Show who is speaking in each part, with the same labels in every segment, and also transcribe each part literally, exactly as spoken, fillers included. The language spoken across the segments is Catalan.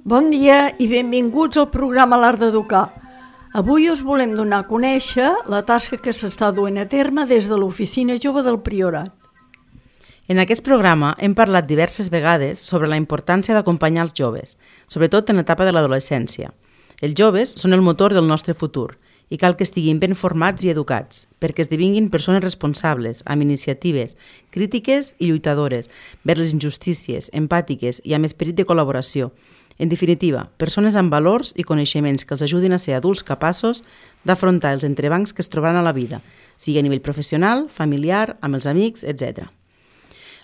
Speaker 1: Bon dia i benvinguts al programa L'Art d'Educar. Avui us volem donar a conèixer la tasca que s'està duent a terme des de l'Oficina Jove del Priorat.
Speaker 2: En aquest programa hem parlat diverses vegades sobre la importància d'acompanyar els joves, sobretot en l'etapa de l'adolescència. Els joves són el motor del nostre futur i cal que estiguin ben formats i educats, perquè esdevinguin persones responsables, amb iniciatives, crítiques i lluitadores, vers les injustícies, empàtiques i amb esperit de col·laboració. En definitiva, persones amb valors i coneixements que els ajudin a ser adults capaços d'afrontar els entrebancs que es trobaran a la vida, sigui a nivell professional, familiar, amb els amics, etcètera.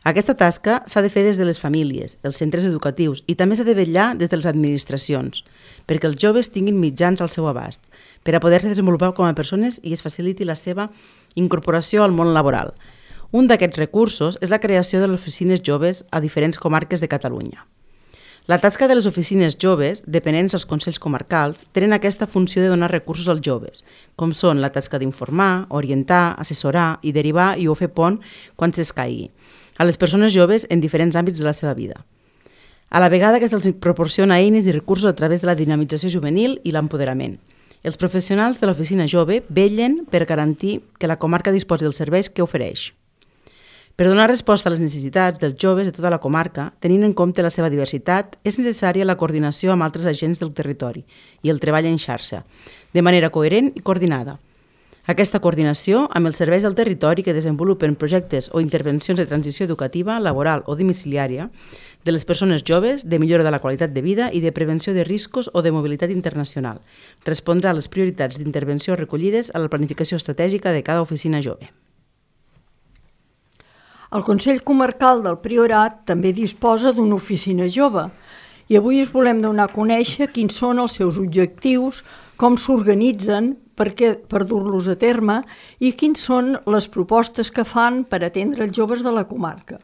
Speaker 2: Aquesta tasca s'ha de fer des de les famílies, els centres educatius i també s'ha de vetllar des de les administracions, perquè els joves tinguin mitjans al seu abast, per a poder-se desenvolupar com a persones i es faciliti la seva incorporació al món laboral. Un d'aquests recursos és la creació de les oficines joves a diferents comarques de Catalunya. La tasca de les oficines joves, dependents dels consells comarcals, tenen aquesta funció de donar recursos als joves, com són la tasca d'informar, orientar, assessorar i derivar i o fer pont quan s'escaigui, a les persones joves en diferents àmbits de la seva vida. A la vegada que se'ls proporciona eines i recursos a través de la dinamització juvenil i l'empoderament. Els professionals de l'oficina jove vetllen per garantir que la comarca disposi dels serveis que ofereix. Per donar resposta a les necessitats dels joves de tota la comarca, tenint en compte la seva diversitat, és necessària la coordinació amb altres agents del territori i el treball en xarxa, de manera coherent i coordinada. Aquesta coordinació amb els serveis del territori que desenvolupen projectes o intervencions de transició educativa, laboral o domiciliària de les persones joves, de millora de la qualitat de vida i de prevenció de riscos o de mobilitat internacional, respondrà a les prioritats d'intervenció recollides a la planificació estratègica de cada oficina jove.
Speaker 1: El Consell Comarcal del Priorat també disposa d'una oficina jove i avui us volem donar a conèixer quins són els seus objectius, com s'organitzen per, per dur-los a terme i quins són les propostes que fan per atendre els joves de la comarca.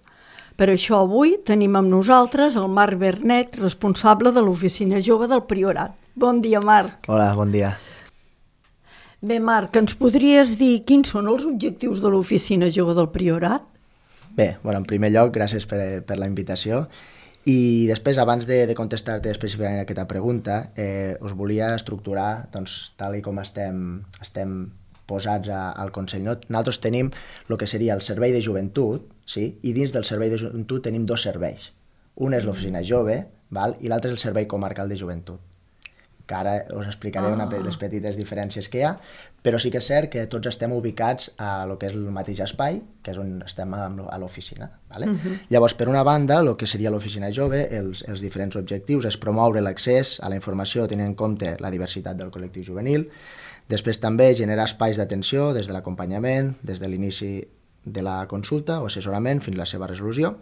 Speaker 1: Per això avui tenim amb nosaltres el Marc Bernet, responsable de l'Oficina Jove del Priorat. Bon dia, Marc.
Speaker 3: Hola, bon dia.
Speaker 1: Bé, Marc, ens podries dir quins són els objectius de l'Oficina Jove del Priorat?
Speaker 3: Bé, bueno, en primer lloc, gràcies per, per la invitació. I després, abans de, de contestar-te específicament aquesta pregunta, eh, us volia estructurar, doncs, tal i com estem, estem posats a, al Consell. No? Nosaltres tenim el que seria el servei de joventut, sí? I dins del servei de joventut tenim dos serveis. Un és l'oficina jove, val? I l'altre és el servei comarcal de joventut, que ara us explicaré una, les petites diferències que hi ha, però sí que és cert que tots estem ubicats a lo que és el mateix espai, que és on estem a l'oficina. Vale? Uh-huh. Llavors, per una banda, el que seria l'oficina jove, els, els diferents objectius és promoure l'accés a la informació tenint en compte la diversitat del col·lectiu juvenil, després també generar espais d'atenció des de l'acompanyament, des de l'inici de la consulta o assessorament fins a la seva resolució,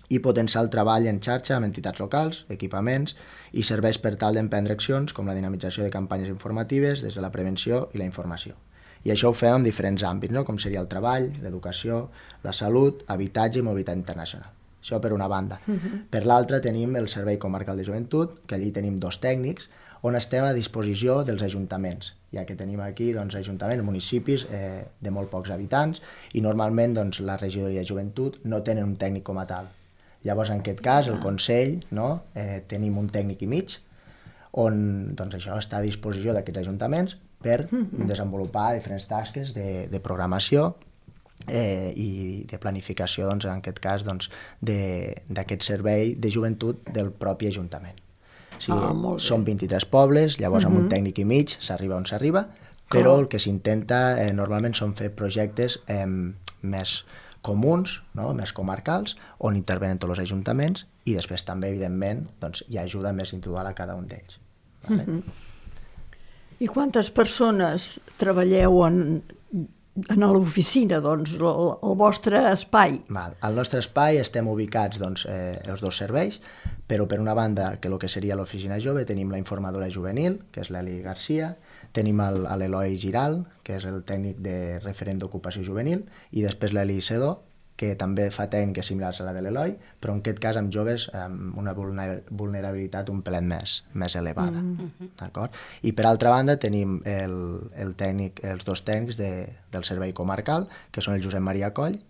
Speaker 3: i potenciar el treball en xarxa amb entitats locals, equipaments i serveis per tal d'emprendre accions com la dinamització de campanyes informatives des de la prevenció i la informació. I això ho fem en diferents àmbits, no? Com seria el treball, l'educació, la salut, habitatge i mobilitat internacional. Això per una banda. Uh-huh. Per l'altra tenim el Servei Comarcal de Joventut, que allí tenim dos tècnics, on estem a disposició dels ajuntaments, ja que tenim aquí doncs, ajuntaments, municipis eh, de molt pocs habitants, i normalment doncs, la regidoria de joventut no tenen un tècnic com a tal. Llavors, en aquest cas, el Consell, no, eh, tenim un tècnic i mig, on doncs, això està a disposició d'aquests ajuntaments per desenvolupar diferents tasques de, de programació eh, i de planificació, doncs, en aquest cas, doncs, d'aquest servei de joventut del propi ajuntament. O sigui, ah, són vint-i-tres pobles, llavors uh-huh. amb un tècnic i mig s'arriba on s'arriba, però oh. el que s'intenta eh, normalment són fer projectes eh, més comuns, no? Més comarcals, on intervenen tots els ajuntaments i després també, evidentment, doncs, hi ha ajuda més individual a cada un d'ells. Vale?
Speaker 1: Uh-huh. I quantes persones treballeu en, en l'oficina, doncs, el, el vostre espai?
Speaker 3: Val. Al nostre espai estem ubicats doncs, eh, els dos serveis, però per una banda, que el que seria l'oficina jove, tenim la informadora juvenil, que és l'Eli Garcia, tenim l'Eloi Giral, que és el tècnic de referent d'ocupació juvenil, i després l'Eli Sedó, que també fa tècniques similars a la de l'Eloi, però en aquest cas amb joves amb una vulnerabilitat un pelet més, més elevada. Mm-hmm. D'acord? I per altra banda tenim el, el tècnic, els dos tècnics de, del servei comarcal, que són el Josep Maria Coll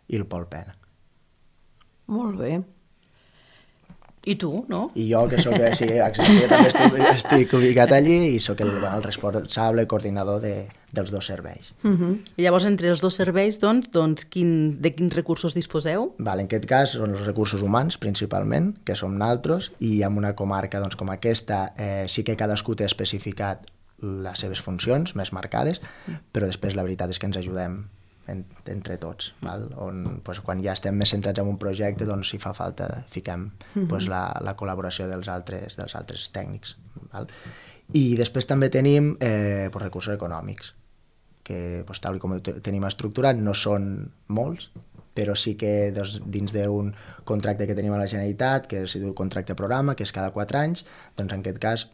Speaker 3: i el Pol Pena.
Speaker 1: Molt bé.
Speaker 2: I tu, no?
Speaker 3: I jo, que soc, sí, exacte, jo també estic, estic ubicat allí i sóc el, el responsable coordinador de, dels dos serveis.
Speaker 2: Uh-huh. I llavors, entre els dos serveis, doncs, doncs quin, de quins recursos disposeu?
Speaker 3: Val, en aquest cas són els recursos humans, principalment, que som naltros, i en una comarca doncs, com aquesta eh, sí que cadascú té especificat les seves funcions més marcades, però després la veritat és que ens ajudem en, entre tots, val? On, doncs, quan ja estem més centrats en un projecte, doncs si fa falta fiquem doncs, la, la col·laboració dels altres, dels altres tècnics. Val? I després també tenim eh, doncs, recursos econòmics, que doncs, tal com ho tenim estructurat no són molts, però sí que doncs, dins d'un contracte que tenim a la Generalitat, que es diu contracte programa, que és cada quatre anys, doncs en aquest cas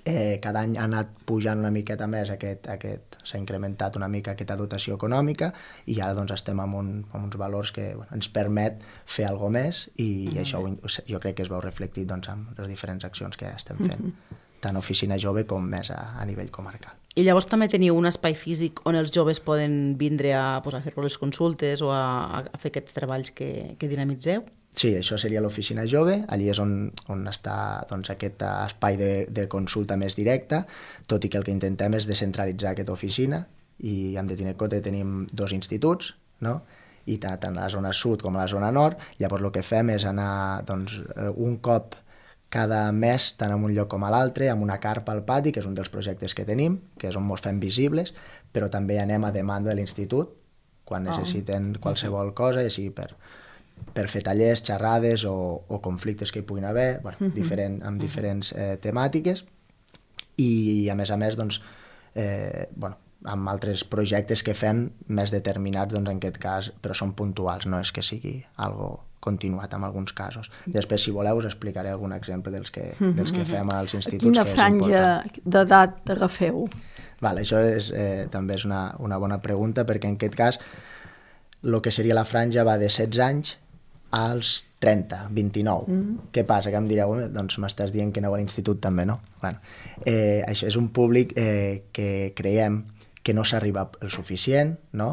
Speaker 3: Eh, cada any ha anat pujant una miqueta més, aquest, aquest, s'ha incrementat una mica aquesta dotació econòmica i ara doncs, estem amb, un, amb uns valors que bueno, ens permet fer alguna més i mm-hmm. això jo crec que es veu reflectit doncs, amb les diferents accions que estem fent, mm-hmm. tant oficina jove com més a, a nivell comarcal.
Speaker 2: I llavors també teniu un espai físic on els joves poden vindre a, pues, a fer les consultes o a, a fer aquests treballs que, que dinamitzeu?
Speaker 3: Sí, això seria l'oficina jove, allí és on, on està doncs, aquest espai de, de consulta més directa, tot i que el que intentem és descentralitzar aquesta oficina i hem de tenir en compte que tenim dos instituts, no? I tant a la zona sud com a la zona nord, llavors el que fem és anar doncs, un cop cada mes, tant en un lloc com a l'altre, amb una carpa al pati, que és un dels projectes que tenim, que és on ens fem visibles, però també anem a demanda de l'institut, quan necessiten qualsevol cosa, ja sigui per... per fer tallers, xerrades o, o conflictes que hi puguin haver, bueno, uh-huh. diferent, amb diferents eh, temàtiques i a més a més doncs, eh, bueno, amb altres projectes que fem més determinats doncs, en aquest cas, però són puntuals, no és que sigui algo continuat en alguns casos. Després, si voleu, us explicaré algun exemple dels que, uh-huh. dels que fem als instituts.
Speaker 1: Quina franja d'edat agafeu?
Speaker 3: Val, això és, eh, també és una, una bona pregunta perquè en aquest cas el que seria la franja va de setze anys als trenta, vint-i-nou. Mm. Què passa? Que em direu, doncs m'estàs dient que aneu a l'institut també, no? Bueno, eh, això és un públic eh, que creiem que no s'arriba el suficient, no?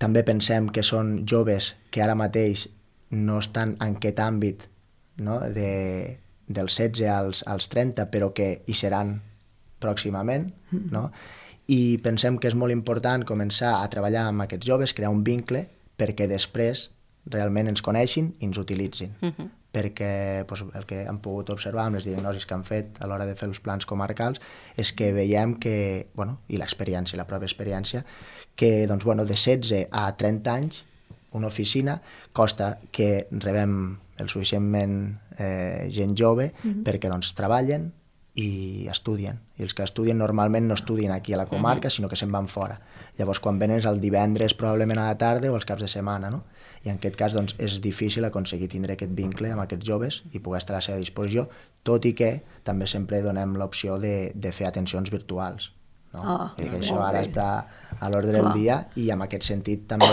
Speaker 3: També pensem que són joves que ara mateix no estan en aquest àmbit, no? de, dels setze als, als trenta, però que hi seran pròximament, mm. no? I pensem que és molt important començar a treballar amb aquests joves, crear un vincle, perquè després realment ens coneixin i ens utilitzin. Uh-huh. Perquè doncs, el que hem pogut observar amb les diagnosis que han fet a l'hora de fer els plans comarcals és que veiem que, bueno, i l'experiència, la pròpia experiència, que doncs, bueno, de setze a trenta anys una oficina costa que rebem el suficientment eh, gent jove uh-huh. perquè doncs, treballen i estudien. I els que estudien normalment no estudien aquí a la comarca, uh-huh. sinó que se'n van fora. Llavors, quan venen és el divendres, probablement a la tarda o els caps de setmana, no? I en aquest cas doncs, és difícil aconseguir tindre aquest vincle amb aquests joves i poder estar a la seva disposició, tot i que també sempre donem l'opció de, de fer atencions virtuals. No? Oh, I que això ara bé. Està a l'ordre del dia i en aquest sentit també,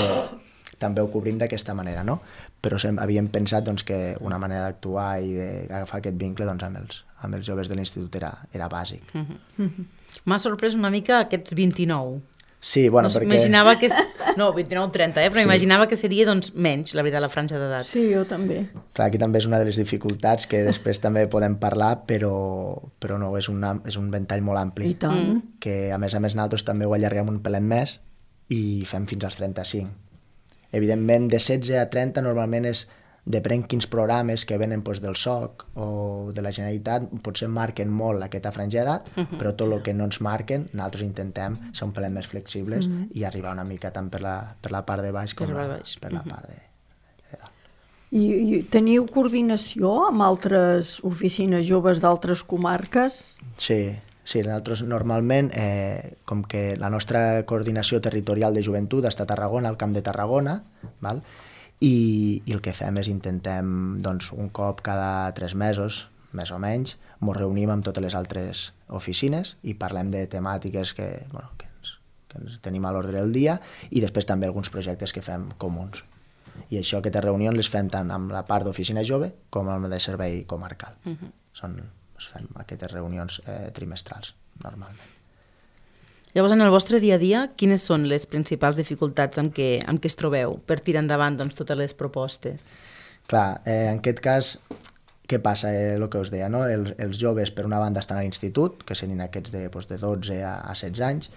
Speaker 3: també ho cobrim d'aquesta manera, no? Però sem- havíem pensat doncs, que una manera d'actuar i d'agafar aquest vincle doncs, amb, els, amb els joves de l'institut era, era bàsic.
Speaker 2: Mm-hmm. Mm-hmm. M'ha sorprès una mica aquests vint-i-nou.
Speaker 3: Sí, bueno,
Speaker 2: no,
Speaker 3: perquè...
Speaker 2: Imaginava que... No, vint-i-nou trenta, eh? Però sí. Imaginava que seria doncs, menys, la veritat, la franja d'edat.
Speaker 1: Sí, jo també.
Speaker 3: Clar, aquí també és una de les dificultats que després també podem parlar, però, però no, és, una, és un ventall molt ampli.
Speaker 1: I tant.
Speaker 3: Que a més a més nosaltres també ho allarguem un pelet més i fem fins als trenta-cinc. Evidentment, de setze a trenta normalment és depèn quins programes que venen doncs, del S O C o de la Generalitat, potser marquen molt aquesta franja d'edat, uh-huh. però tot el que no ens marquen, nosaltres intentem ser un pelet més flexibles uh-huh. i arribar una mica tant per la, per la part de baix com per la, baix. Per la uh-huh. part de, de dalt.
Speaker 1: I, I teniu coordinació amb altres oficines joves d'altres comarques?
Speaker 3: Sí, sí, nosaltres normalment, eh, com que la nostra coordinació territorial de joventut està a Tarragona, al Camp de Tarragona, val? I, i el que fem és intentem doncs, un cop cada tres mesos, més o menys, ens reunim amb totes les altres oficines i parlem de temàtiques que, bueno, que, ens, que ens tenim a l'ordre del dia i després també alguns projectes que fem comuns. I això, aquestes reunions les fem tant amb la part d'oficina jove com amb la de servei comarcal. Uh-huh. Són, es fem aquestes reunions eh, trimestrals, normalment.
Speaker 2: Llavors, en el vostre dia a dia, quines són les principals dificultats amb què, amb què es trobeu per tirar endavant doncs, totes les propostes?
Speaker 3: Clar, eh, en aquest cas, què passa? Eh, el que us deia, no? Els, els joves, per una banda, estan a l'institut, que serien aquests de, doncs, de dotze a, a setze anys,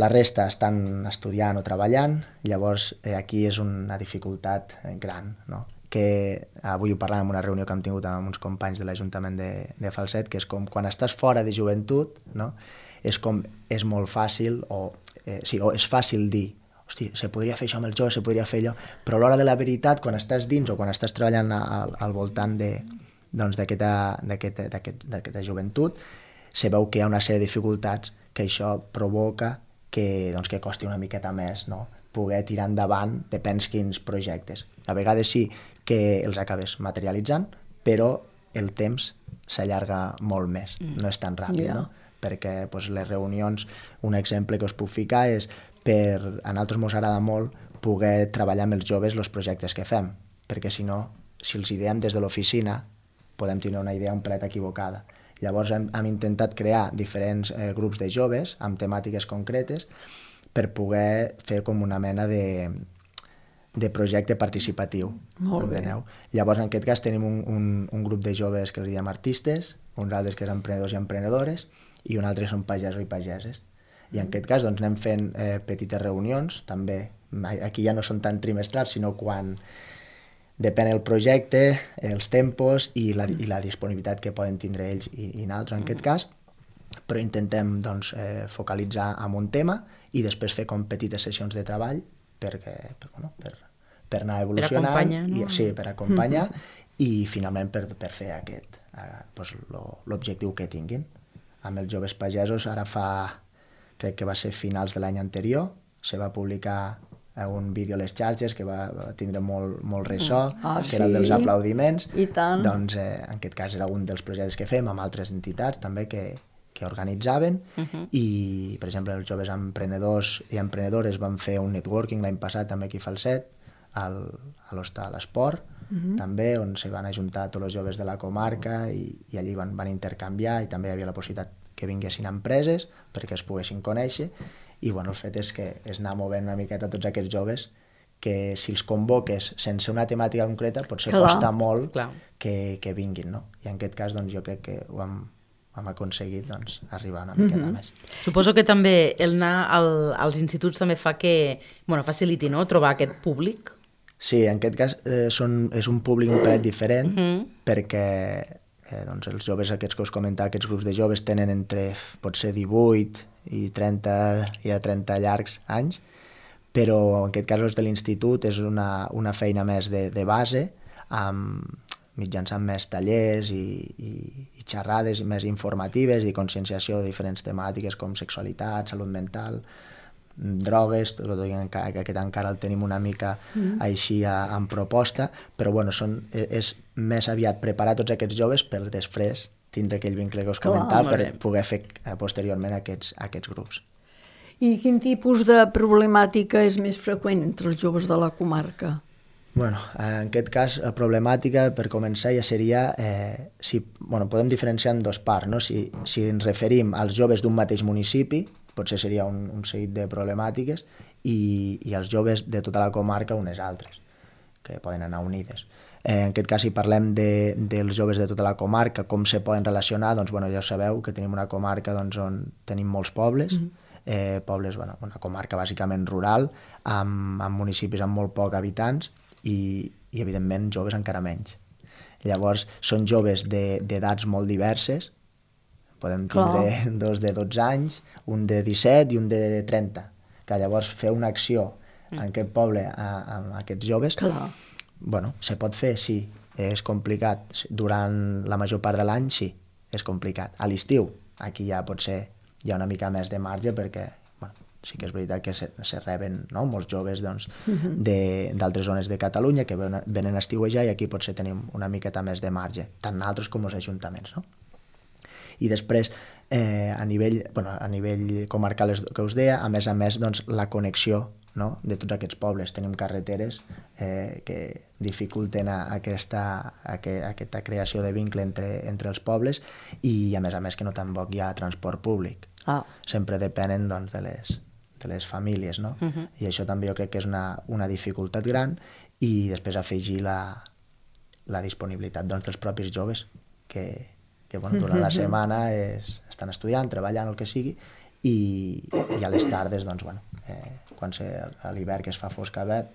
Speaker 3: la resta estan estudiant o treballant, llavors eh, aquí és una dificultat gran, no? Que avui ho parlàvem en una reunió que hem tingut amb uns companys de l'Ajuntament de, de Falset, que és com quan estàs fora de joventut, no? És com, és molt fàcil, o, eh, sí, o és fàcil dir, hosti, se podria fer això amb el jove, se podria fer allò, però a l'hora de la veritat, quan estàs dins o quan estàs treballant al, al voltant de, doncs, d'aquesta, d'aquesta, d'aquest, d'aquesta joventut, se veu que hi ha una sèrie de dificultats que això provoca que, doncs, que costi una miqueta més, no? Poder tirar endavant depèn quins projectes. A vegades sí que els acabes materialitzant, però el temps s'allarga molt més, mm. no és tan ràpid, yeah. no? Perquè doncs, les reunions, un exemple que us puc ficar és per, a nosaltres ens agrada molt poder treballar amb els joves els projectes que fem, perquè si no, si els ideem des de l'oficina, podem tenir una idea un plet equivocada. Llavors hem, hem intentat crear diferents eh, grups de joves amb temàtiques concretes per poder fer com una mena de, de projecte participatiu.
Speaker 1: Molt bé.
Speaker 3: Llavors, en aquest cas, tenim un, un, un grup de joves que els diem artistes, uns altres que són emprenedors i emprenedores, i un altre que són pagesos i pageses. I en aquest cas doncs, anem fent eh, petites reunions, també, aquí ja no són tan trimestrals, sinó quan depèn el projecte, els tempos i la, i la disponibilitat que poden tindre ells i, i nosaltres en aquest cas, però intentem doncs, eh, focalitzar en un tema i després fer com petites sessions de treball perquè, per, bueno, per, per anar evolucionant,
Speaker 2: per acompanyar, no?
Speaker 3: i, sí, per acompanyar mm-hmm. i finalment per, per fer aquest, eh, doncs, l'objectiu que tinguin. Amb els joves pagesos ara fa, crec que va ser finals de l'any anterior, se va publicar un vídeo a les xarxes que va, va tindre molt, molt ressò,
Speaker 1: ah,
Speaker 3: que sí? Era el dels aplaudiments.
Speaker 1: I tant.
Speaker 3: Doncs eh, en aquest cas era un dels projectes que fem amb altres entitats també que, que organitzaven uh-huh. i, per exemple, els joves emprenedors i emprenedores van fer un networking l'any passat també aquí a Falset, al, a l'Hostal Esport, uh-huh. també, on se van ajuntar tots els joves de la comarca i, i allí van, van intercanviar i també hi havia la possibilitat que vinguessin empreses perquè es poguessin conèixer. I bueno, el fet és que és anar movent una miqueta tots aquests joves que si els convoques sense una temàtica concreta potser Clar. costa molt que, que vinguin, no? I en aquest cas doncs, jo crec que ho hem, hem aconseguit doncs, arribar una miqueta mm-hmm. més.
Speaker 2: Suposo que també el anar al, als instituts també fa que bueno, faciliti, no?, trobar aquest públic.
Speaker 3: Sí, en aquest cas eh, són, és un públic un plet diferent mm-hmm. perquè eh, doncs, els joves aquests que us comentava, aquests grups de joves tenen entre potser divuit i trenta, i a trenta llargs anys, però en aquest cas els de l'institut és una, una feina més de, de base, amb, mitjançant més tallers i, i, i xerrades més informatives i conscienciació de diferents temàtiques com sexualitat, salut mental, drogues, tot i que aquest encara el tenim una mica mm. així a, en proposta, però bueno, són, és més aviat preparar tots aquests joves per després tindre aquell vincle que us comentava per poder fer posteriorment aquests, aquests grups.
Speaker 1: I quin tipus de problemàtica és més freqüent entre els joves de la comarca?
Speaker 3: Bueno, en aquest cas, la problemàtica, per començar, ja seria... Eh, si, bueno, podem diferenciar en dos parts, no? Si, si ens referim als joves d'un mateix municipi, potser seria un, un seguit de problemàtiques, i, i els joves de tota la comarca unes altres, que poden anar unides. Eh, en aquest cas, si parlem de, dels joves de tota la comarca, com se poden relacionar, doncs bueno, ja sabeu que tenim una comarca doncs, on tenim molts pobles, mm-hmm. eh, pobles, bueno, una comarca bàsicament rural, amb, amb municipis amb molt poc habitants i, i evidentment joves encara menys. Llavors, són joves d'edats molt diverses, podem tindre Clar. dos de dotze anys, un de disset i un de trenta, que llavors fer una acció mm. en aquest poble a, amb aquests joves... Clar. Bueno, se pot fer, sí, és complicat. Durant la major part de l'any, sí, és complicat. A l'estiu, aquí ja potser hi ha una mica més de marge perquè bueno, sí que és veritat que se, se reben no? molts joves doncs, uh-huh. d'altres zones de Catalunya que venen, venen a estiuejar i aquí potser tenim una miqueta més de marge, tant nosaltres com els ajuntaments. No? I després, eh, a, nivell, bueno, a nivell comarcal que us deia, a més a més, doncs, la connexió no? De tots aquests pobles. Tenim carreteres eh, que dificulten a, a aquesta, a, que, a aquesta creació de vincle entre, entre els pobles i, a més a més, que no tampoc hi ha transport públic. Ah. Sempre depenen doncs, de, les, de les famílies, no? Uh-huh. I això també jo crec que és una, una dificultat gran i després afegir la, la disponibilitat doncs, dels propis joves que, que bueno, durant la setmana és, estan estudiant, treballant, el que sigui, i, i a les tardes, doncs, bueno, eh, quan se, a l'hivern que es fa foscavet,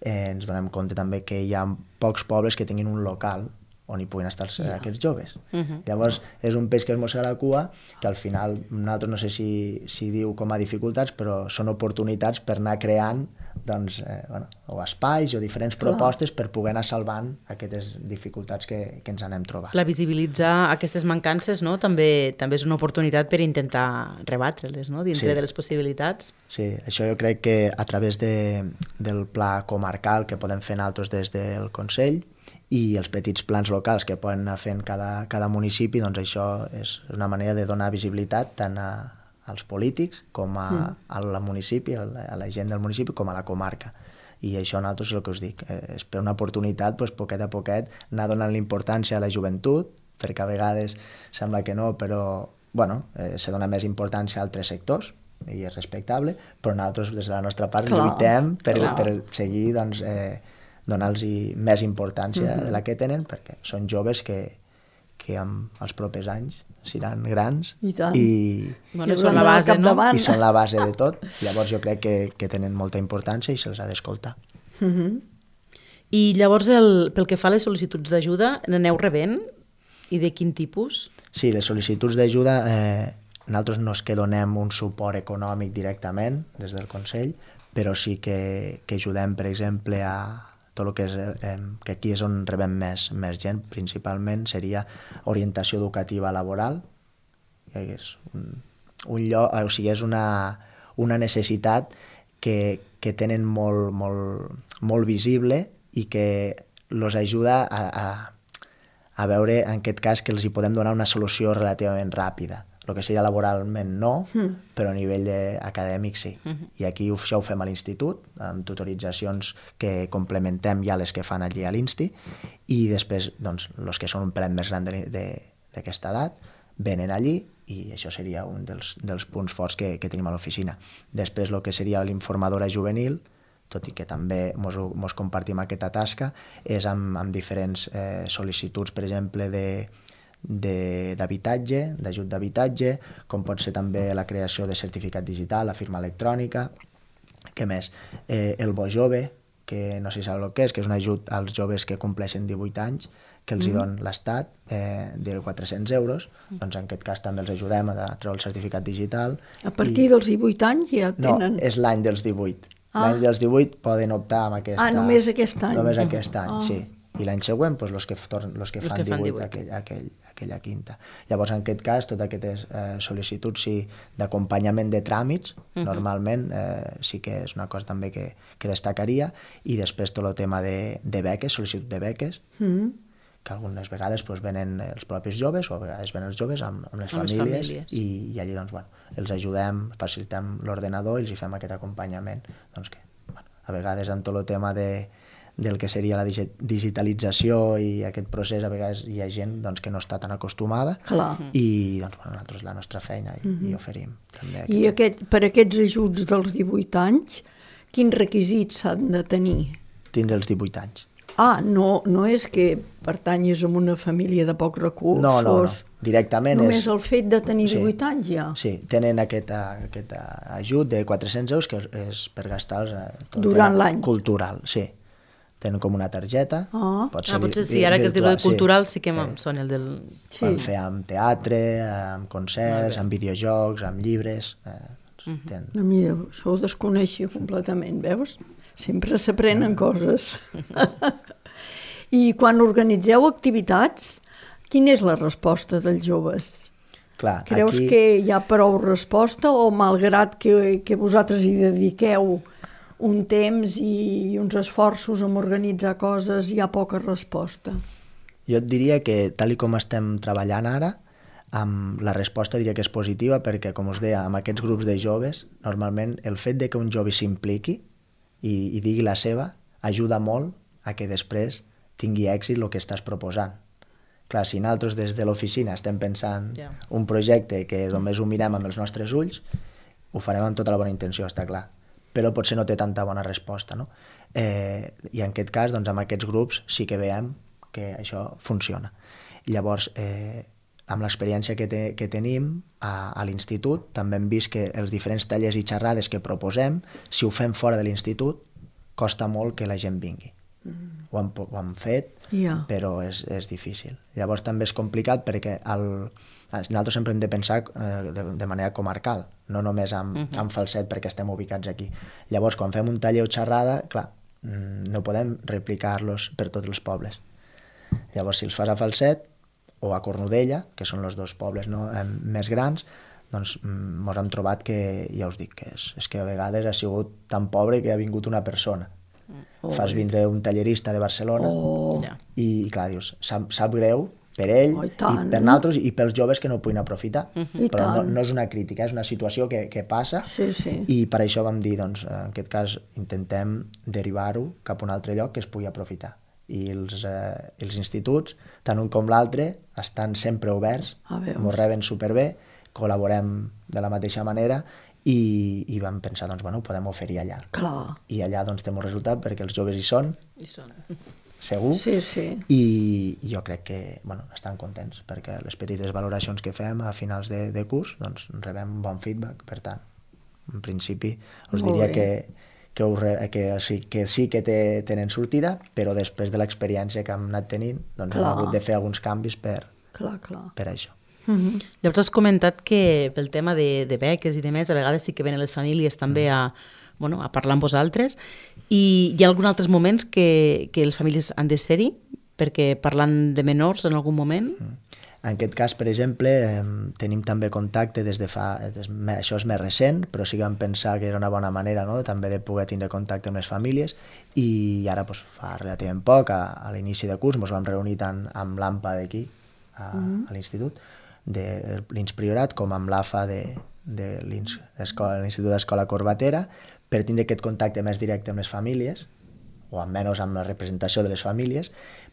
Speaker 3: eh, ens donem compte també que hi ha pocs pobles que tinguin un local on hi puguin estar els, yeah. aquests joves. Uh-huh. Llavors, és un peix que es mossega la cua, que al final, nosaltres no sé si, si diu com a dificultats, però són oportunitats per anar creant doncs, eh, bueno, o espais o diferents Clar. propostes per poder anar salvant aquestes dificultats que, que ens anem trobant.
Speaker 2: La visibilitzar aquestes mancances, no? també, també és una oportunitat per intentar rebatre-les, no? Dintre sí. de les possibilitats.
Speaker 3: Sí, això jo crec que a través de, del pla comarcal que podem fer nosaltres des del Consell i els petits plans locals que poden anar fent cada, cada municipi, doncs això és una manera de donar visibilitat tant a, als polítics com a, mm. a la municipi, a la, a la gent del municipi, com a la comarca. I això nosaltres és el que us dic, eh, és per una oportunitat, doncs, poquet a poquet, anar donant l'importància a la joventut, perquè a vegades sembla que no, però bueno, eh, se dona més importància a altres sectors, i és respectable, però nosaltres des de la nostra part clar, lluitem per, per seguir doncs, eh, donar-los més importància mm-hmm. de la que tenen, perquè són joves que, que en els propers anys seran grans
Speaker 1: i,
Speaker 3: i,
Speaker 2: bueno, I són la base, no?
Speaker 3: I són la base de tot. Llavors jo crec que, que tenen molta importància i se'ls ha d'escoltar.
Speaker 2: Mm-hmm. I llavors, el, pel que fa a les sol·licituds d'ajuda, n'aneu rebent? I de quin tipus?
Speaker 3: Sí, les sol·licituds d'ajuda, eh, nosaltres no és que donem un suport econòmic directament des del Consell, però sí que, que ajudem, per exemple, a tot el que és, eh, que aquí és on rebem més, més gent, principalment seria orientació educativa laboral, que és un, un lloc, o sigui, és una, una necessitat que, que tenen molt, molt, molt visible i que els ajuda a, a, a veure, en aquest cas, que els hi podem donar una solució relativament ràpida. El que seria laboralment no, mm. però a nivell acadèmic sí. Mm-hmm. I aquí això ho fem a l'institut, amb tutoritzacions que complementem ja les que fan allí a l'Insti, i després, doncs, els que són un pelet més gran d'aquesta edat, venen allí, i això seria un dels, dels punts forts que, que tenim a l'oficina. Després, el que seria l'informadora juvenil, tot i que també mos, mos compartim aquesta tasca, és amb, amb diferents eh, sol·licituds, per exemple, de d'habitatge, d'ajut d'habitatge, com pot ser també la creació de certificat digital, la firma electrònica. Què més? Eh, el Bo Jove, que no sé si sabeu el que és, que és un ajut als joves que compleixen divuit anys, que els mm. hi don l'Estat, eh, de quatre-cents euros, doncs en aquest cas també els ajudem a treure el certificat digital.
Speaker 1: A partir i... dels divuit anys ja tenen...
Speaker 3: No, és l'any dels divuit. Ah. L'any dels divuit poden optar amb aquesta...
Speaker 1: Ah, només aquest any.
Speaker 3: Només aquest any, ah. sí. I l'any següent, doncs, els que, torn, els que, els fan, que fan divuit, aquell, aquell, aquella quinta. Llavors, en aquest cas, totes aquestes eh, sol·licituds sí, d'acompanyament de tràmits, uh-huh. normalment eh, sí que és una cosa també que, que destacaria, i després tot el tema de, de beques, sol·licitud de beques, uh-huh. que algunes vegades doncs, venen els propis joves, o a vegades venen els joves amb, amb les amb famílies, famílies. I, i allí doncs, bueno, els ajudem, facilitem l'ordenador i els hi fem aquest acompanyament. Doncs que, bueno, a vegades en tot el tema de del que seria la digitalització i aquest procés, a vegades hi ha gent doncs, que no està tan acostumada. Clar. I doncs, bueno, nosaltres la nostra feina i, mm-hmm. i oferim. També
Speaker 1: aquest... I aquest, per aquests ajuts dels divuit anys, quins requisits s'han de tenir?
Speaker 3: Tindre els divuit anys.
Speaker 1: Ah, no, no és que pertanyes a una família de pocs recursos.
Speaker 3: No, no, no. Directament
Speaker 1: només
Speaker 3: és...
Speaker 1: el fet de tenir divuit
Speaker 3: sí.
Speaker 1: anys ja.
Speaker 3: Sí, tenen aquest, aquest ajut de quatre-cents euros que és per gastar-los
Speaker 1: durant l'any.
Speaker 3: Cultural, sí. Tenen com una targeta.
Speaker 2: Oh. Pot ser ah, potser sí, ara que es diu de cultural sí, sí que em sona el del...
Speaker 3: Sí. Van fer amb teatre, amb concerts, amb videojocs, amb llibres... Eh,
Speaker 1: uh-huh. ten... A mi això ho desconeixia completament, veus? Sempre s'aprenen uh-huh. coses. I quan organitzeu activitats, quina és la resposta dels joves?
Speaker 3: Clar,
Speaker 1: Creus
Speaker 3: aquí...
Speaker 1: que hi ha prou resposta o malgrat que, que vosaltres hi dediqueu un temps i uns esforços en organitzar coses, hi ha poca resposta?
Speaker 3: Jo et diria que, tal i com estem treballant ara, amb la resposta diria que és positiva perquè, com us deia, amb aquests grups de joves, normalment el fet de que un jove s'impliqui i, i digui la seva ajuda molt a que després tingui èxit el que estàs proposant. Clar, si nosaltres des de l'oficina estem pensant yeah. un projecte que només ho mirem amb els nostres ulls, ho farem amb tota la bona intenció, està clar, però potser no té tanta bona resposta, no? Eh, I en aquest cas, doncs, amb aquests grups sí que veiem que això funciona. Llavors, eh, amb l'experiència que, te, que tenim a, a l'institut, també hem vist que els diferents tallers i xerrades que proposem, si ho fem fora de l'institut, costa molt que la gent vingui. Mm. Ho, hem, ho hem fet, yeah. però és, és difícil. Llavors també és complicat perquè el, nosaltres sempre hem de pensar eh, de, de manera comarcal, no només amb, uh -huh. amb Falset perquè estem ubicats aquí. Llavors, quan fem un taller o xerrada, clar, no podem replicar-los per tots els pobles. Llavors, si els fas a Falset o a Cornudella, que són els dos pobles no, eh, més grans, doncs mos hem trobat que, ja us dic, que és, és que a vegades ha sigut tan pobre que ha vingut una persona. Oh. Fas vindre un tallerista de Barcelona oh. i, i clar, dius, sap, sap greu per ell oh, i, i per nosaltres i pels joves que no ho puguin aprofitar. Uh -huh. Però no, no és una crítica, és una situació que, que passa
Speaker 1: sí, sí.
Speaker 3: i per això vam dir, doncs, en aquest cas intentem derivar-ho cap a un altre lloc que es pugui aprofitar. I els, eh, els instituts, tant un com l'altre, estan sempre oberts, ens reben superbé, col·laborem de la mateixa manera i, i vam pensar, doncs, bueno, ho podem oferir allà.
Speaker 1: Clar.
Speaker 3: I allà, doncs, té molt resultat perquè els joves hi són,
Speaker 2: hi són.
Speaker 3: segur,
Speaker 1: sí, sí.
Speaker 3: I, i jo crec que, bueno, estan contents perquè les petites valoracions que fem a finals de, de curs, doncs, rebem bon feedback, per tant, en principi, us molt diria bé. que Que, ho, que, sí, que sí que té, tenen sortida, però després de l'experiència que hem anat tenint, doncs clar. Hem hagut de fer alguns canvis per,
Speaker 1: clar, clar.
Speaker 3: per això.
Speaker 2: Mm-hmm. Llavors has comentat que pel tema de, de beques i de més, a vegades sí que venen les famílies també a, bueno, a parlar amb vosaltres, i hi ha alguns altres moments que, que les famílies han de ser-hi, perquè parlant de menors en algun moment... Mm.
Speaker 3: En aquest cas, per exemple, eh, tenim també contacte des de fa... Des, això és més recent, però sí que vam pensar que era una bona manera, no?, també de poder tindre contacte amb les famílies, i ara, doncs, fa relativament poc, a, a l'inici de curs, ens vam reunir tant amb l'A M P A d'aquí, a, mm-hmm. a l'institut, de l'Ins Priorat, com amb l'A F A de, de l'Institut d'Escola Corbatera, per tindre aquest contacte més directe amb les famílies, o almenys amb la representació de les famílies,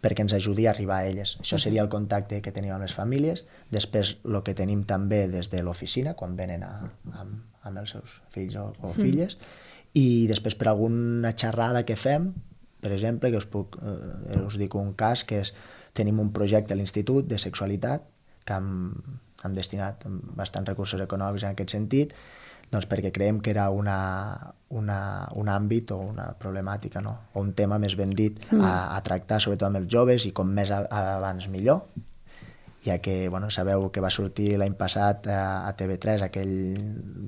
Speaker 3: perquè ens ajudi a arribar a elles. Això seria el contacte que tenim amb les famílies. Després, el que tenim també des de l'oficina, quan venen a, amb, amb els seus fills o, o filles, mm. i després per alguna xerrada que fem, per exemple, que us, puc, eh, us dic un cas, que és, tenim un projecte a l'institut de sexualitat, que hem, hem destinat bastants recursos econòmics en aquest sentit, doncs perquè creiem que era una, una, un àmbit o una problemàtica, no? O un tema més ben dit a, a tractar, sobretot amb els joves, i com més a, abans millor, ja que, bueno, sabeu que va sortir l'any passat a, a T V tres aquell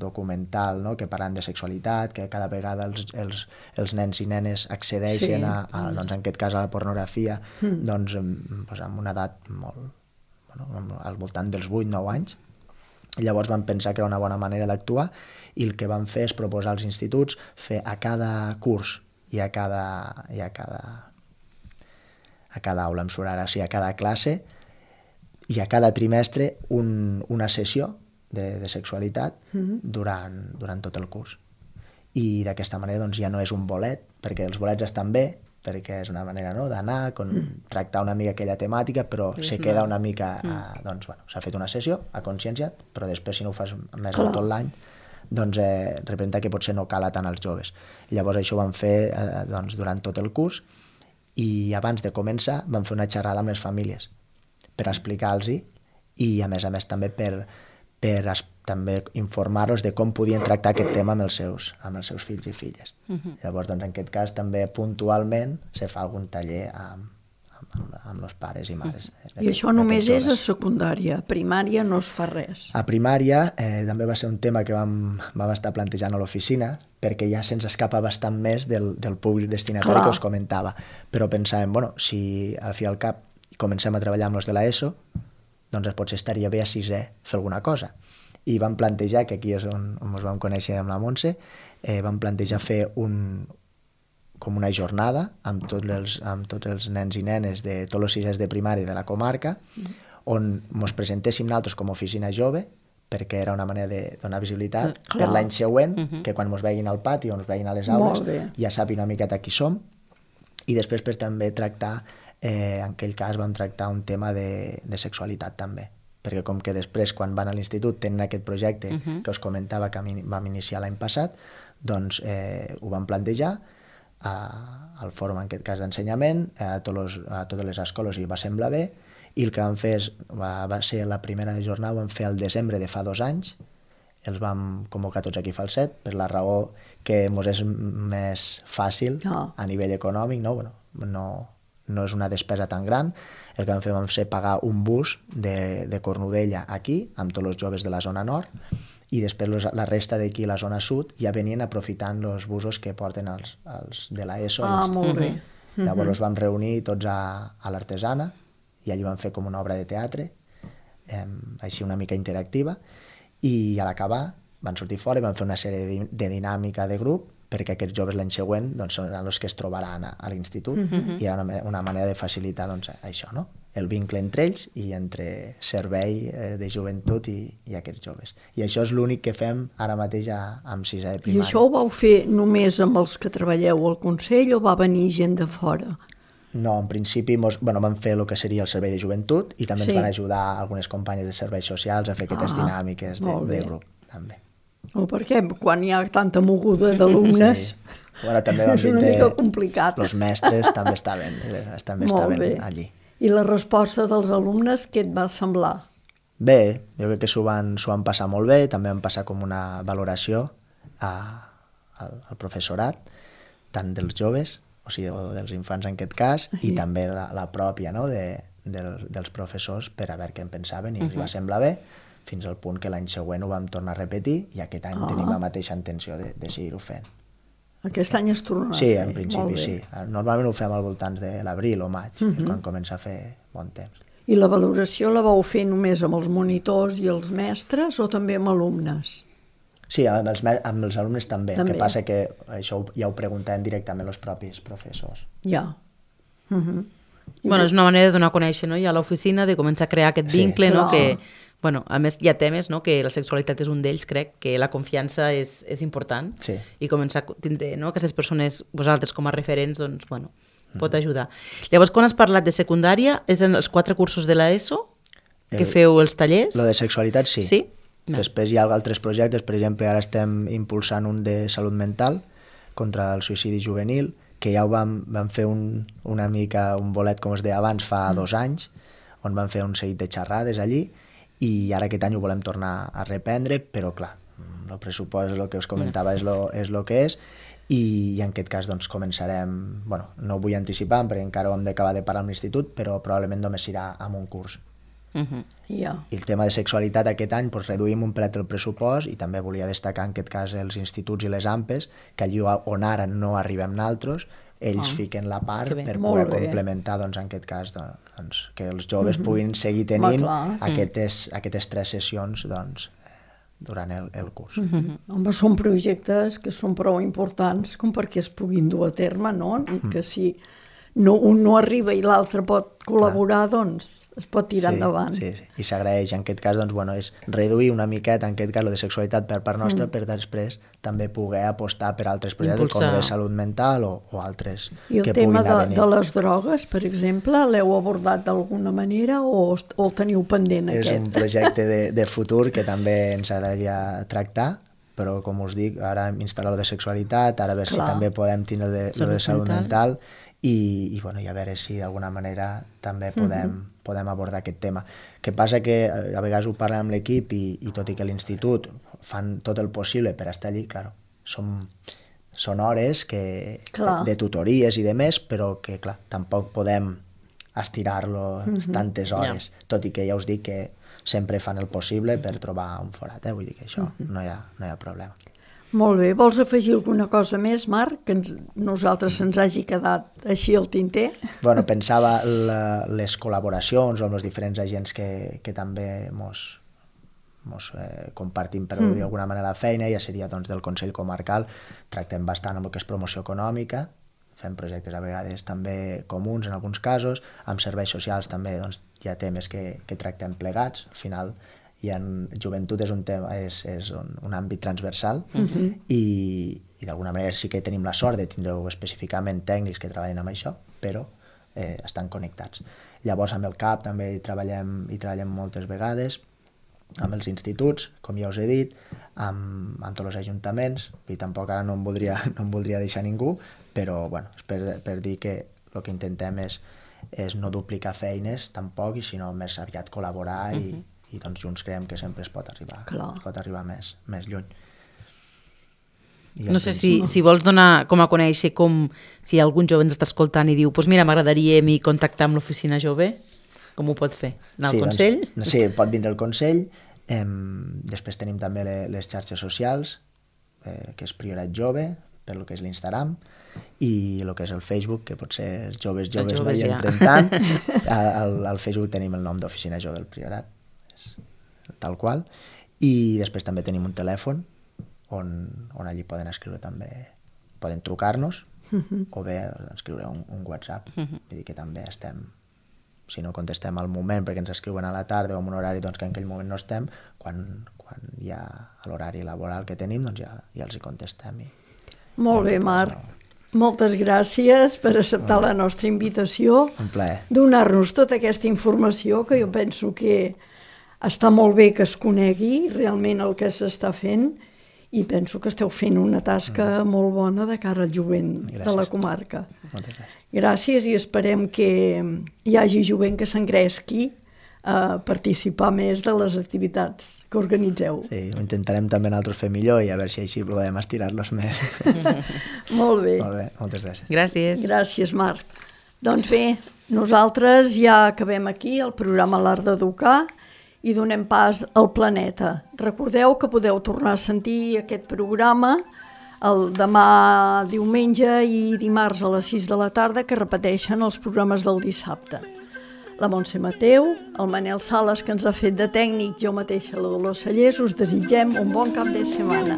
Speaker 3: documental, no?, que parlant de sexualitat, que cada vegada els, els, els nens i nenes accedeixen sí. a, a, doncs, en aquest cas a la pornografia, mm. doncs, doncs amb una edat molt, bueno, al voltant dels vuit nou anys. Llavors vam pensar que era una bona manera d'actuar i el que vam fer és proposar als instituts fer a cada curs i a cada, i a cada, a cada aula, em surt ara, o sigui, a cada classe i a cada trimestre un, una sessió de, de sexualitat mm-hmm. durant, durant tot el curs. I d'aquesta manera doncs, ja no és un bolet, perquè els bolets estan bé, perquè és una manera, no?, d'anar, mm. tractar una mica aquella temàtica, però sí, se queda una mica... Mm. A, doncs, bueno, s'ha fet una sessió, ha conscienciat, però després, si no ho fas més de tot l'any, doncs eh, representa que potser no cala tant als joves. Llavors això ho vam fer eh, doncs, durant tot el curs, i abans de començar vam fer una xerrada amb les famílies per explicar-los i, a més a més, també per, per es, també informar-los de com podien tractar aquest tema amb els seus, amb els seus fills i filles. Uh-huh. Llavors, doncs, en aquest cas, també puntualment se fa algun taller amb, amb, amb els pares i mares. Uh-huh.
Speaker 1: I això només és a secundària, a primària no es fa res.
Speaker 3: A primària eh, també va ser un tema que vam, vam estar plantejant a l'oficina, perquè ja se'ns escapa bastant més del, del públic destinatari Clar. que us comentava. Però pensàvem, bueno, si al fi al cap comencem a treballar amb els de l'ESO, doncs potser estaria bé a sisè fer alguna cosa. I vam plantejar, que aquí és on, on ens vam conèixer amb la Montse, eh, vam plantejar fer un, com una jornada amb tots, els, amb tots els nens i nenes de tots els sisès de primària de la comarca, mm. on ens presentéssim nosaltres com a oficina jove, perquè era una manera de donar visibilitat
Speaker 1: Clar.
Speaker 3: per l'any següent, uh -huh. que quan ens veguin al pati o ens veguin a les aules ja sàpiguen una miqueta qui som, i després per també tractar, eh, en aquell cas vam tractar un tema de, de sexualitat també, perquè com que després quan van a l'institut tenen aquest projecte uh -huh. que us comentava que vam iniciar l'any passat, doncs eh, ho vam plantejar a, al fòrum, en aquest cas d'ensenyament, a, tots a totes les escoles i va semblar bé, i el que vam fer és, va, va ser la primera jornada, ho vam fer al desembre de fa dos anys, els vam convocar tots aquí a Falset, per la raó que ens és més fàcil oh. a nivell econòmic, no? Bueno, no, no és una despesa tan gran. El que vam fer vam ser pagar un bus de, de Cornudella aquí, amb tots els joves de la zona nord, i després los, la resta d'aquí, la zona sud, ja venien aprofitant els busos que porten els, els de l'ESO.
Speaker 1: Ah, molt bé.
Speaker 3: Llavors els vam reunir tots a, a l'Artesana, i allí vam fer com una obra de teatre, eh, així una mica interactiva, i a l'acabar van sortir fora i van fer una sèrie de, de dinàmica de grup, perquè aquests joves l'any següent doncs, són els que es trobaran a, a l'institut, mm-hmm. i era una, una manera de facilitar doncs, això, no? El vincle entre ells i entre servei eh, de joventut i, i aquests joves. I això és l'únic que fem ara mateix a, amb sisè de primària.
Speaker 1: I això ho vau fer només amb els que treballeu al Consell o va venir gent de fora?
Speaker 3: No, en principi mos, bueno, vam fer el que seria el servei de joventut i també sí. ens van ajudar algunes companyes de serveis socials a fer aquestes ah, dinàmiques de, de grup. També.
Speaker 1: O perquè quan hi ha tanta moguda d'alumnes sí.
Speaker 3: bueno, també vam
Speaker 1: és una
Speaker 3: de,
Speaker 1: mica complicat.
Speaker 3: Els mestres també estaven, també estaven allí.
Speaker 1: I la resposta dels alumnes, què et va semblar?
Speaker 3: Bé, jo crec que s'ho van, s'ho van passar molt bé, també van passar com una valoració a, al, al professorat, tant dels joves, o sigui, dels infants en aquest cas, sí. i també la, la pròpia, no?, de, del, dels professors per a veure què en pensaven, i uh -huh. els va semblar bé, fins al punt que l'any següent ho vam tornar a repetir, i aquest any oh. tenim la mateixa intenció de, de seguir-ho fent.
Speaker 1: Aquest any es tornarà
Speaker 3: sí,
Speaker 1: a fer.
Speaker 3: Sí, en principi sí. Normalment ho fem al voltant de l'abril o maig, uh -huh. quan comença a fer bon temps.
Speaker 1: I la valoració la vau fer només amb els monitors i els mestres o també amb alumnes?
Speaker 3: Sí, amb els, amb els alumnes també. també. El que passa que això ja ho preguntem directament els propis professors.
Speaker 1: Ja. Uh -huh.
Speaker 2: Bueno, és una manera de donar a conèixer, no?, ja a l'oficina, de començar a crear aquest vincle, sí, no?, que, bueno, a més hi ha temes, no?, que la sexualitat és un d'ells, crec, que la confiança és, és important,
Speaker 3: sí.
Speaker 2: i començar a tindre, no?, aquestes persones, vosaltres com a referents, doncs, bueno, pot ajudar. Llavors, quan has parlat de secundària, és en els quatre cursos de l'ESO que el, feu els tallers?
Speaker 3: Lo de sexualitat, sí.
Speaker 2: Sí?
Speaker 3: No. Després hi ha altres projectes, per exemple, ara estem impulsant un de salut mental contra el suïcidi juvenil, que ja ho vam, vam fer un, una mica un bolet, com es deia abans, fa mm. dos anys, on vam fer un seguit de xerrades allí, i ara aquest any ho volem tornar a reprendre, però clar, el pressupost, el que us comentava, és lo, és lo que és, i, i en aquest cas doncs començarem, bueno, no vull anticipar perquè encara ho hem d'acabar de parar amb l'institut, però probablement només serà amb un curs.
Speaker 1: Uh-huh. yeah.
Speaker 3: I el tema de sexualitat aquest any doncs, reduïm un plet el pressupost, i també volia destacar en aquest cas els instituts i les A M P Es, que allí on ara no arribem naltros, ells oh. fiquen la part per poder complementar doncs, en aquest cas doncs, que els joves uh-huh. puguin seguir tenint Va, aquestes, aquestes tres sessions doncs, durant el, el curs.
Speaker 1: Uh-huh. Home, són projectes que són prou importants com perquè es puguin dur a terme, no? I uh-huh. que si no, un no arriba i l'altre pot col·laborar, Clar. doncs es pot tirar
Speaker 3: sí,
Speaker 1: endavant.
Speaker 3: Sí, sí, i s'agraeix. En aquest cas, doncs, bueno, és reduir una miqueta, en aquest cas, lo de sexualitat per part nostra, mm. per després també poder apostar per altres projectes, Impulsar. com de salut mental o, o altres
Speaker 1: I
Speaker 3: que puguin
Speaker 1: venir. I el tema
Speaker 3: de,
Speaker 1: de les drogues, per exemple, l'heu abordat d'alguna manera o, o el teniu pendent,
Speaker 3: és
Speaker 1: aquest?
Speaker 3: És un projecte de, de futur que també ens agradaria tractar, però, com us dic, ara hem instal·lat lo de sexualitat, ara a veure Clar. si també podem tindre de, salut, de salut mental, mental i, i, bueno, i a veure si d'alguna manera també podem... Mm-hmm. podem abordar aquest tema. Que passa que a vegades ho parlem amb l'equip i, i tot i que l'institut fan tot el possible per estar allí, clar, són, són hores que, de, de tutories i de més, però que, clar, tampoc podem estirar-lo mm-hmm. tantes hores, yeah. tot i que ja us dic que sempre fan el possible per trobar un forat, eh? Vull dir que això mm-hmm. no, hi ha, no hi ha problema.
Speaker 1: Molt bé. Vols afegir alguna cosa més, Marc, que ens, nosaltres se'ns hagi quedat així al tinter?
Speaker 3: Bueno, pensava la, les col·laboracions amb els diferents agents que, que també mos, mos eh, compartim, per mm. dir d'alguna manera, la feina, ja seria doncs, del Consell Comarcal, tractem bastant amb el que és promoció econòmica, fem projectes a vegades també comuns en alguns casos, amb serveis socials també doncs, hi ha temes que, que tractem plegats, al final hi ha, joventut és un tema, és, és un, un àmbit transversal uh-huh. i, i d'alguna manera sí que tenim la sort de tindre específicament tècnics que treballen amb això, però eh, estan connectats. Llavors amb el C A P també hi treballem, hi treballem moltes vegades, amb els instituts, com ja us he dit, amb, amb tots els ajuntaments, i tampoc ara no em voldria, no em voldria deixar ningú, però bueno, és per, per dir que el que intentem és, és no duplicar feines tampoc, i sinó més aviat col·laborar uh-huh. i, i doncs junts creiem que sempre es pot arribar, es pot arribar més, més lluny. I
Speaker 2: no sé si, si vols donar com a conèixer com si algun jove ens està escoltant i diu pues mira, m'agradaria a mi contactar amb l'oficina jove. Com ho pot fer? Anar
Speaker 3: sí,
Speaker 2: al Consell?
Speaker 3: Doncs, sí, pot vindre al Consell. Eh, després tenim també les, les xarxes socials, eh, que és Priorat Jove, per lo que és l'Instagram, i el que és el Facebook, que potser els joves joves, joves no hi ja. entren tant. Al, al Facebook tenim el nom d'Oficina Jove del Priorat, és tal qual. I després també tenim un telèfon, on, on allí poden escriure també, poden trucar-nos, uh-huh. o bé escriure un, un WhatsApp. Uh-huh. Vull dir que també estem... si no contestem al moment perquè ens escriuen a la tarda o en un horari doncs, que en aquell moment no estem, quan, quan hi ha l'horari laboral que tenim, doncs ja, ja els hi contestem. I,
Speaker 1: Molt bé, Marc. No... Moltes gràcies per acceptar la nostra invitació.
Speaker 3: Un plaer.
Speaker 1: Donar-nos tota aquesta informació, que jo penso que està molt bé que es conegui realment el que s'està fent, i penso que esteu fent una tasca mm. molt bona de cara al jovent gràcies. De la comarca.
Speaker 3: Moltes gràcies.
Speaker 1: Gràcies, i esperem que hi hagi jovent que s'engresqui a participar més de les activitats que organitzeu.
Speaker 3: Sí, ho intentarem també nosaltres fer millor i a veure si així podem estirar-los més.
Speaker 1: Molt bé.
Speaker 3: Molt bé, moltes gràcies.
Speaker 2: Gràcies.
Speaker 1: Gràcies, Marc. Doncs bé, nosaltres ja acabem aquí el programa L'Art d'Educar i donem pas al Planeta. Recordeu que podeu tornar a sentir aquest programa el demà diumenge i dimarts a les sis de la tarda, que repeteixen els programes del dissabte. La Montse Mateu, el Manel Sales, que ens ha fet de tècnic, jo mateixa, la Dolors Cellers, us desitgem un bon cap de setmana.